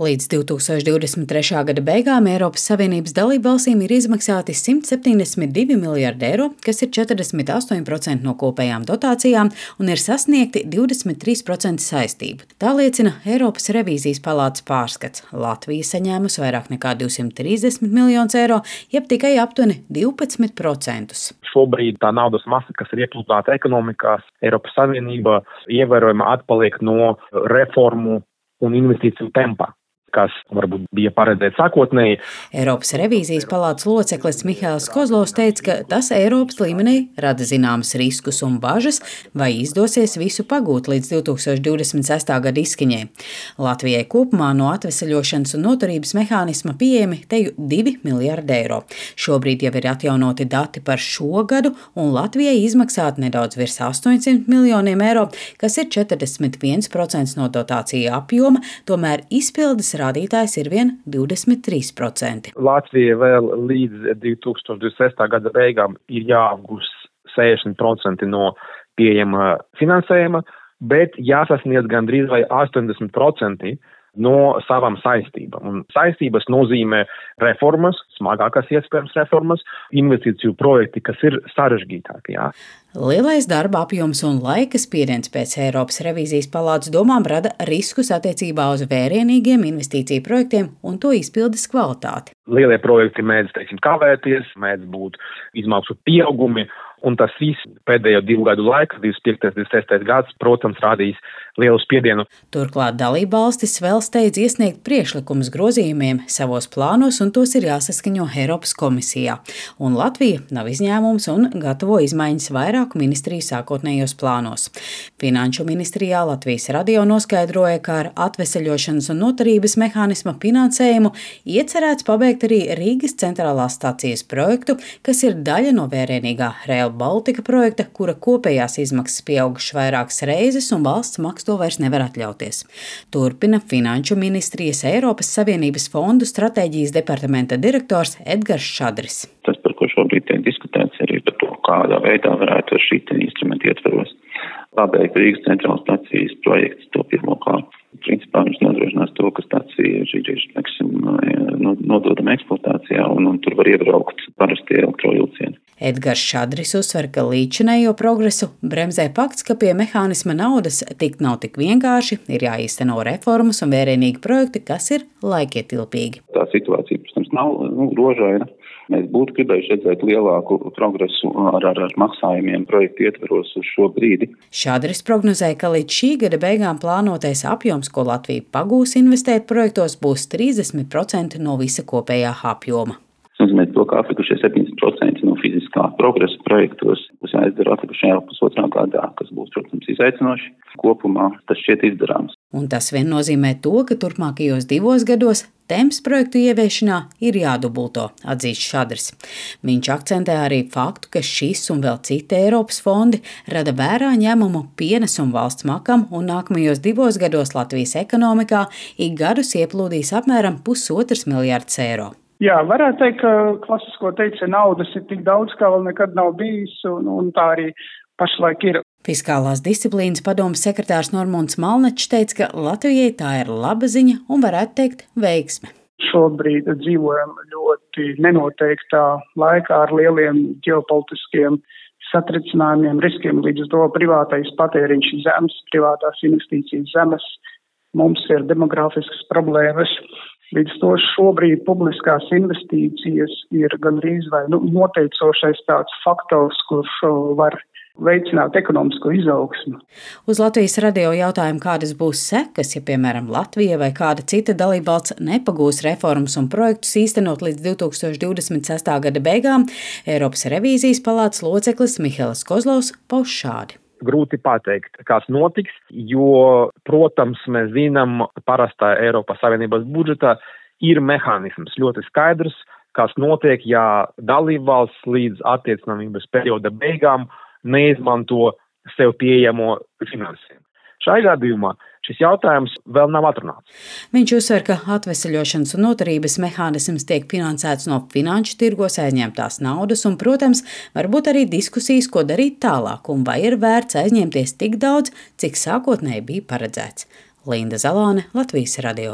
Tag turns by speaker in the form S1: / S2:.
S1: Līdz 2023. gada beigām Eiropas Savienības dalībvalstīm ir izmaksāti 172 miljardi eiro, kas ir 48% no kopējām dotācijām, un ir sasniegti 23% saistību. Tā liecina Eiropas revīzijas palātas pārskats. Latvija saņēmusi vairāk nekā 230 miljonus eiro, jeb tikai aptuveni 12%.
S2: Šobrīd tā naudas masa, kas ir iepludināta ekonomikās, Eiropas Savienība ievērojami atpaliek no reformu un investīciju tempā, kas varbūt bija paredzēts sākotnēji.
S1: Eiropas revīzijas palātas loceklis Mihails Kozlovs teica, ka tas Eiropas līmenī rada zināmas riskus un bažas, vai izdosies visu pagūt līdz 2026. gada izskaņai. Latvijai kopumā no atveseļošanas un noturības mehānisma pieejami teju 2 miljardi eiro. Šobrīd jau ir atjaunoti dati par šo gadu, un Latvijai izmaksāt nedaudz virs 800 miljoniem eiro, kas ir 41% no dotācija apjoma, tomēr izpildes rādītājs ir vien 23%.
S2: Latvija vēl līdz 2026. gada beigām ir jāapgūst 60% no pieejama finansējuma, bet jāsasniedz gandrīz vai 80% no savām saistībām. Un saistības nozīmē reformas, smagākas iespējams reformas, investīciju projekti, kas ir sarežģītāki. Jā.
S1: Lielais darba apjoms un laika spiediens pēc Eiropas revīzijas palātas domām rada riskus attiecībā uz vērienīgiem investīciju projektiem un to izpildes kvalitāti.
S2: Lielie projekti mēdz, kavēties, mēdz būt izmaksu pieaugumi, un tas viss pēdējo 2 gadu laikā, 25. un 26. gads, protams, rādīs lielu spiedienu.
S1: Turklāt dalībvalstis vēl steidz iesniegt priekšlikumus grozījumiem savos plānos, un tos ir jāsaskaņo Eiropas komisijā. Un Latvija nav izņēmums un gatavo izmaiņas vairāku ministriju sākotnējos plānos. Finanšu ministrijā Latvijas radio noskaidroja, ka ar atveseļošanas un noturības mehānisma finansējumu iecerēts pabeigt arī Rīgas centrālās stacijas projektu, kas ir daļa no vērienīgā Rail Baltica projekta, kura kopējās izmaksas pieaugušas vairākas reizes, un valsts maks to vairs nevar atļauties. Turpina Finanšu ministrijas Eiropas Savienības fondu stratēģijas departamenta direktors Edgars Šadris.
S3: Tas, par ko šobrīd tiek diskutēts, arī par to, kādā veidā varētu ar šī instrumenta ietvaros pabeigt Rīgas centrālās stacijas projekts to pirmo kārtu. Principā viņš nodrošinās to, ka stacija ir nododama eksploatācijā un tur var iebraukt parastie elektrovilcieni.
S1: Edgars Šadris uzsver, ka līdzinējo progresu bremzē fakts, ka pie mehānisma naudas tikt nav tik vienkārši, ir jāīsteno reformas un vērienīgi projekti, kas ir laikietilpīgi.
S3: Tā situācija, protams, nav rožaina. Mēs būtu gribējuši redzēt lielāku progresu ar maksājumiem projektu ietveros uz šo brīdi.
S1: Šadris prognozēja, ka līdz šī gada beigām plānotais apjoms, ko Latvija pagūs investēt projektos, būs 30% no visa kopējā apjoma.
S3: Tas nozīmē to, ka atlikušie 70% no fiziskā progresa projektos būs jāizdara atlikušajā pusotrā gadā, kas būs, protams, izaicinoši. Kopumā tas šķiet izdarāms.
S1: Un tas vien nozīmē to, ka turpmākajos 2 gados temps projektu ieviešanā ir jādubulto, atzīst Šadris. Viņš akcentē arī faktu, ka šis un vēl citi Eiropas fondi rada vērā ņēmumu pienesumu valsts makam, un nākamajos 2 gados Latvijas ekonomikā ik gadus ieplūdīs apmēram 1,5 miljardus eiro.
S4: Jā, varētu teikt, ka klasisko teicienu naudas ir tik daudz, kā vēl nekad nav bijis, un tā arī pašlaik ir.
S1: Fiskālās disciplīnas padomes sekretārs Normunds Malnečs teica, ka Latvijai tā ir laba ziņa un varētu teikt veiksme.
S4: Šobrīd dzīvojam ļoti nenoteiktā laikā ar lieliem ģeopolitiskiem satricinājumiem, riskiem, līdz ar to privātais patēriņš zemes, privātās investīcijas zemes, mums ir demogrāfiskas problēmas. Līdz to šobrīd publiskās investīcijas ir gandrīz vai noteicošais tāds faktors, kurš var veicināt ekonomisko izaugsmu.
S1: Uz Latvijas radio jautājumu, kādas būs sekas, ja, piemēram, Latvija vai kāda cita dalībvalsts nepagūs reformas un projektus īstenot līdz 2026. gada beigām, Eiropas revīzijas palātas loceklis Mihails Kozlovs pauž šādi.
S2: Grūti pateikt, kas notiks, jo, protams, mēs zinām, parastā Eiropas Savienības budžetā ir mehānisms ļoti skaidrs, kas notiek, ja dalībvalsts līdz attiecināmības perioda beigām neizmanto sev pieejamo finansējumu. Šajā gadījumā šis jautājums vēl nav atrunāts.
S1: Viņš uzsver, ka atveseļošanas un noturības mehānisms tiek finansēts no finanšu tirgos aizņemtās naudas un, protams, varbūt arī diskusijas, ko darīt tālāk un vai ir vērts aizņemties tik daudz, cik sākotnēji bija paredzēts. Linda Zalāne, Latvijas radio.